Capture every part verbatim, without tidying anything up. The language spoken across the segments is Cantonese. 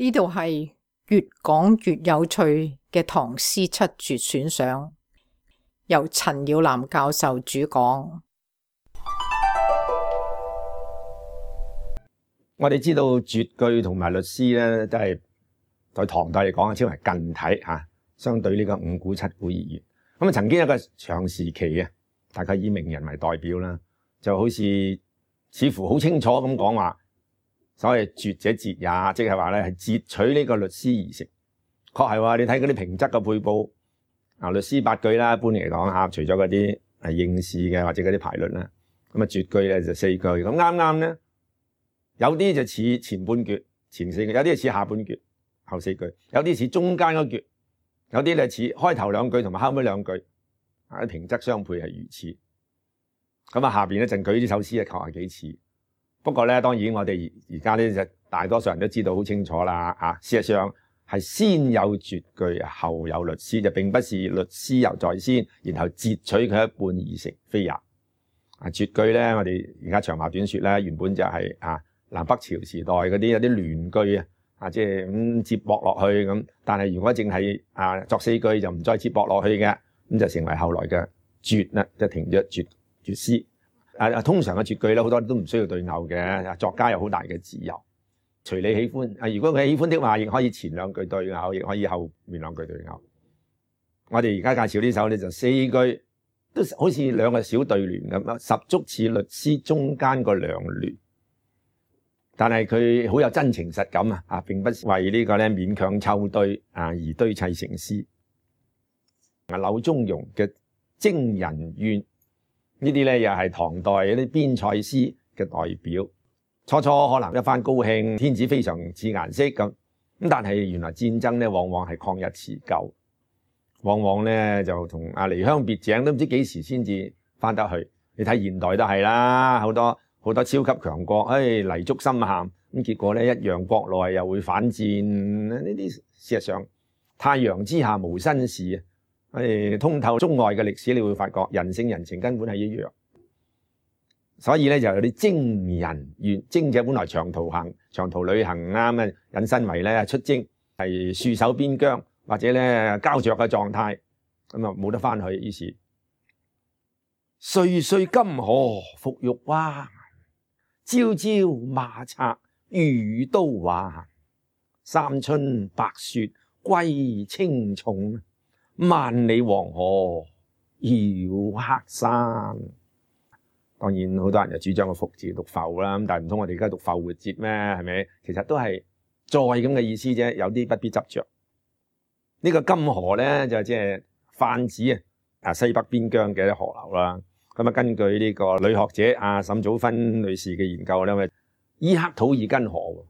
呢度係越講越有趣嘅唐詩七絕選賞，由陳耀南教授主講。我哋知道絕句同埋律詩咧，都係在唐代嚟講，稱為近體吓，相對呢個五古七古而言。咁啊，曾經一個長時期啊，大概以名人為代表啦，就好似似乎好清楚咁講話，所謂絕者節也，即係話咧係截取呢個律詩而成。確係話你睇嗰啲平仄嘅配佈啊，律詩八句啦，一般嚟講吓，除咗嗰啲係應試嘅或者嗰啲排律啦，咁啊絕句咧就四句，咁啱啱咧。有啲就似前半闕前四句，有啲似下半闕後四句，有啲似中間嗰闕，有啲咧似開頭兩句同埋後尾兩句，啊啲平仄相配係如此。咁啊下邊咧就舉呢首詩啊，求下幾次。不過咧，當然我哋而家咧就大多數人都知道好清楚啦，啊事實上係先有絕句後有律詩，就並不是律詩猶在先，然後截取佢一半而成，非也。啊絕句咧，我哋而家長話短說咧，原本就係、是、啊。南北朝時代嗰啲有啲聯句啊，啊即係咁接駁落去咁，但係如果淨係啊作四句就唔再接駁落去嘅，咁就成為後來嘅絕啦，就停咗絕絕詩。啊通常嘅絕句咧，好多都唔需要對偶嘅，作家有好大嘅自由，隨你喜歡。啊如果佢喜歡的話，亦可以前兩句對偶，亦可以後面兩句對偶。我哋而家介紹呢首咧就四句，都好似兩個小對聯咁，十足似律詩中間個兩聯。但係佢好有真情實感啊！啊，並不是為呢個咧勉強湊對啊而堆砌成詩。啊，柳宗融嘅《徵人怨》呢啲咧又係唐代嗰啲邊塞詩嘅代表。初初可能一番高興，天子非常似顏色咁，咁但係原來戰爭咧往往係曠日持久，往往咧就同啊離鄉別井都唔知幾時先至翻得去。你睇現代都係啦，好多。好多超級強國，唉泥足深陷，咁結果咧一樣國內又會反戰，呢啲事實上太陽之下無新事啊！唉通透中外嘅歷史，你會發覺人性人情根本係一樣，所以咧就有啲徵人怨，徵者本來長途行、長途旅行啱啊，引申為咧出征係戍守邊疆或者咧膠着嘅狀態，咁啊冇得翻去，於是歲歲金河復玉灣。朝朝馬策與刀還，三春白雪歸青冢，萬里黃河繞黑山。當然好多人就主張個復字讀浮啦，咁但係唔通我哋而家讀復活節咩？係咪？其實都係再咁嘅意思啫，有啲不必執着。呢、這個金河咧就即係泛指啊西北邊疆嘅河流啦。咁啊，根據呢個女學者阿沈祖芬女士嘅研究咧，伊克土爾根河，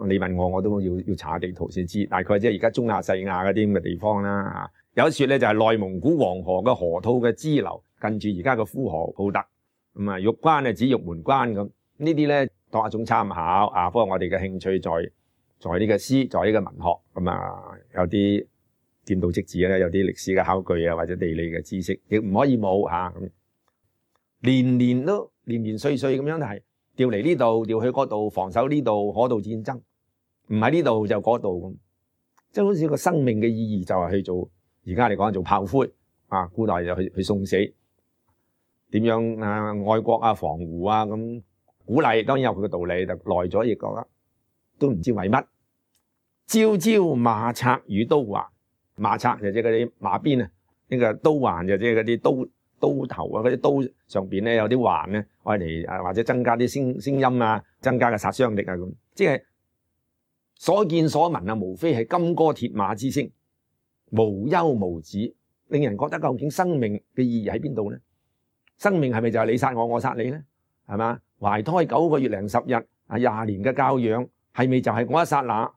你問我我都要要查下地圖先知，大概即係而家中亞細亞嗰啲咁嘅地方啦。有一說咧就係內蒙古黃河嘅河套嘅支流，近住而家嘅呼和浩特。咁啊，玉關啊指玉門關咁，呢啲咧當一種參考啊。不過我哋嘅興趣在在呢個詩，在呢個文學咁啊，有啲見到即止咧，有啲歷史嘅考據啊，或者地理嘅知識，亦唔可以冇吓咁。年年都年年歲歲咁樣係調嚟呢度，調去嗰度，防守呢度，嗰度戰爭，唔喺呢度就嗰度咁，即係好似個生命嘅意義就係去做，而家嚟講做炮灰啊，古代就去去送死，點樣啊愛國啊防胡啊咁鼓勵，當然有佢嘅道理，就耐咗亦覺得都唔知為乜。朝朝馬策與刀還，馬策就即係嗰啲馬鞭啊，呢個刀還就即係嗰啲刀。刀頭啊，嗰啲刀上邊咧有啲環咧，愛嚟啊或者增加啲聲聲音啊，增加嘅殺傷力啊咁，即係所見所聞啊，無非係金戈鐵馬之聲，無休無止，令人覺得究竟生命嘅意義喺邊度咧？生命係咪就係你殺我，我殺你咧？係嘛？懷胎九個月零十日啊，廿年嘅教養係咪就係我一剎那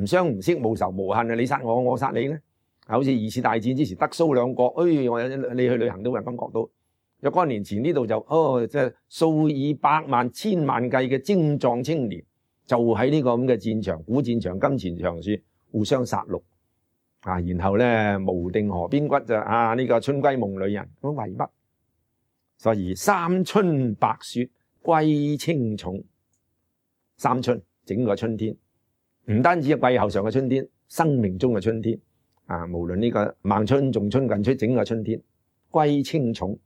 唔相唔識無仇無恨啊？你殺我，我殺你咧？好似二次大戰之前德蘇兩國，哎，我你去旅行都會感覺到，若干年前呢度就哦，即係數以百萬、千萬計嘅精壯青年，就喺呢個咁嘅戰場、古戰場、金錢場處互相殺戮啊！然後咧無定河邊骨就啊呢、這個春閨夢裏人咁為乜？所以三春白雪歸青冢，三春整個春天唔單止係季候上嘅春天，生命中嘅春天啊，無論呢個孟春、仲春、近春，整個春天，歸青塚。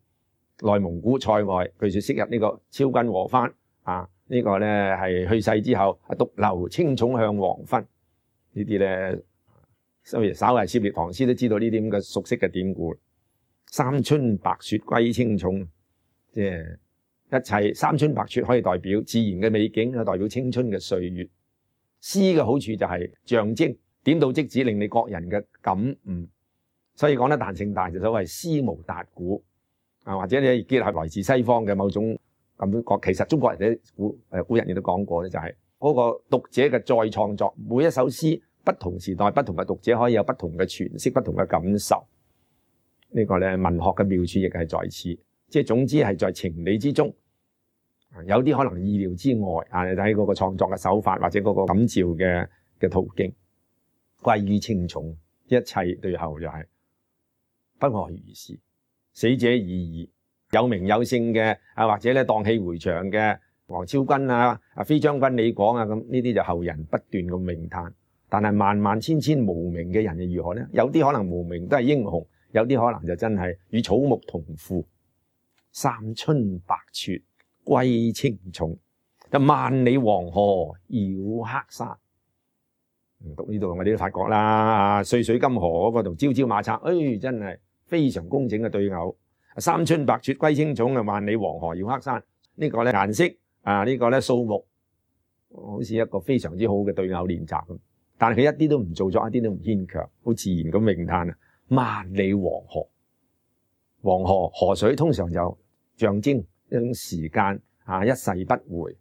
內蒙古塞外，據說昔日呢個昭君和番啊，呢、這個咧係去世之後，獨留青塚向黃昏。呢啲咧，所以稍為涉獵唐詩都知道呢啲咁嘅熟悉嘅典故。三春白雪歸青塚，即係一切三春白雪可以代表自然嘅美景，代表青春嘅歲月。詩嘅好處就係象徵，點到即止，令你個人嘅感悟。所以講得彈性大，就所謂詩無達诂啊，或者你結合來自西方嘅某種咁講，其實中國人嘅古誒古人亦都講過咧，就係嗰個讀者嘅再創作，每一首詩不同時代不同嘅讀者可以有不同嘅詮釋、不同嘅感受。呢個咧文學嘅妙處亦係在此，即係總之係在情理之中，有啲可能意料之外啊！你睇嗰個創作嘅手法或者嗰個感召嘅嘅途徑，歸於青塚，一切對後就係不外如是。死者已矣，有名有姓嘅啊，或者咧蕩氣迴腸嘅王昭君啊、啊飛將軍李廣啊，咁呢啲就後人不斷咁詠嘆。但係萬萬千千無名嘅人又如何呢？有啲可能無名都係英雄，有啲可能就真係與草木同腐。三春白雪歸青塚，就萬里黃河繞黑沙。讀呢度我哋都發覺啦，歲歲金河嗰個同朝朝馬策，誒、哎、真係非常工整嘅對偶。三春白雪歸青塚啊，萬里黃河繞黑沙。呢、這個咧顏色啊，這個、呢個咧數目，好似一個非常之好嘅對偶練習咁。但係佢一啲都唔做作，一啲都唔牽強，好自然咁詠嘆啊！萬里黃河，黃河河水通常就象徵一種時間啊，一世不回。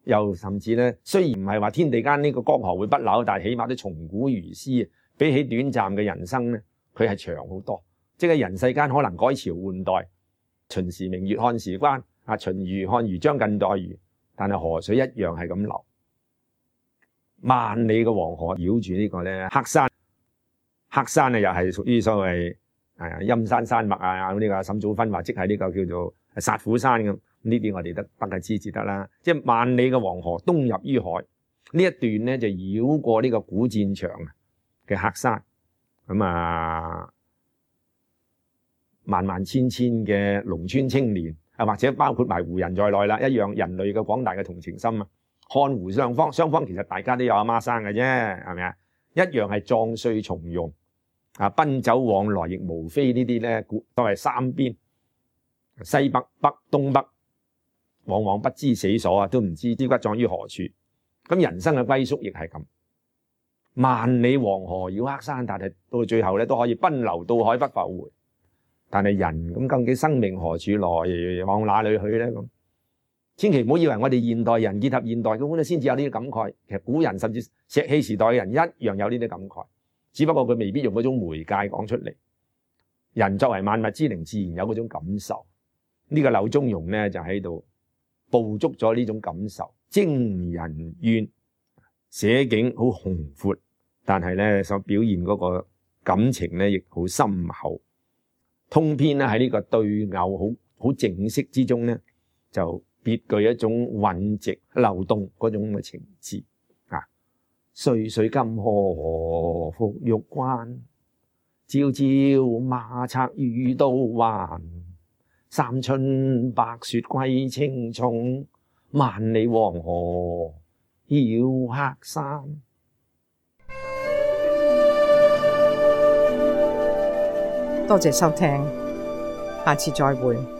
又甚至咧，雖然唔係話天地間呢個江河會不朽，但係起碼都從古如斯。比起短暫嘅人生咧，佢係長好多。即係人世間可能改朝換代，秦時明月漢時關啊，秦虞漢虞將近代虞，但係河水一樣係咁流。萬里嘅黃河繞住呢個咧黑山，黑山啊又係屬於所謂誒陰山山脈啊，呢個沈祖芬話即係呢個叫做殺虎山咁。呢啲我哋得得嘅知至得啦。即係萬里嘅黃河東入於海，呢一段咧就繞過呢個古戰場嘅黑山，咁啊萬萬千千嘅農村青年啊，或者包括埋湖人在內啦，一樣人類嘅廣大嘅同情心啊。看湖雙方，雙方其實大家都有阿媽生嘅啫，係咪啊？一樣係壯帥從容啊，奔走往來亦無非呢啲咧，都係三邊西北北東北，往往不知死所啊，都唔知腰骨葬於何處。咁人生嘅歸宿亦係咁，萬里黃河繞黑山，但係到最後咧都可以奔流到海不復回。但係人咁究竟生命何處來，往哪裏去咧？咁千祈唔好以為我哋現代人結合現代咁咧，先至有呢啲感慨。其實古人甚至石器時代嘅人一樣有呢啲感慨，只不過佢未必用嗰種媒介講出嚟。人作為萬物之靈，自然有嗰種感受。呢個柳宗融咧就喺度捕捉咗呢種感受，徵人怨，寫景好宏闊，但係咧所表現嗰個感情咧亦好深厚。通篇咧喺呢個對偶好好靜息之中咧，就別具一種韻直流動嗰種嘅情致啊！歲歲金河復玉關，朝朝馬策與刀還。三春白雪歸青塚，萬里黃河繞黑山。多謝收聽，下次再會。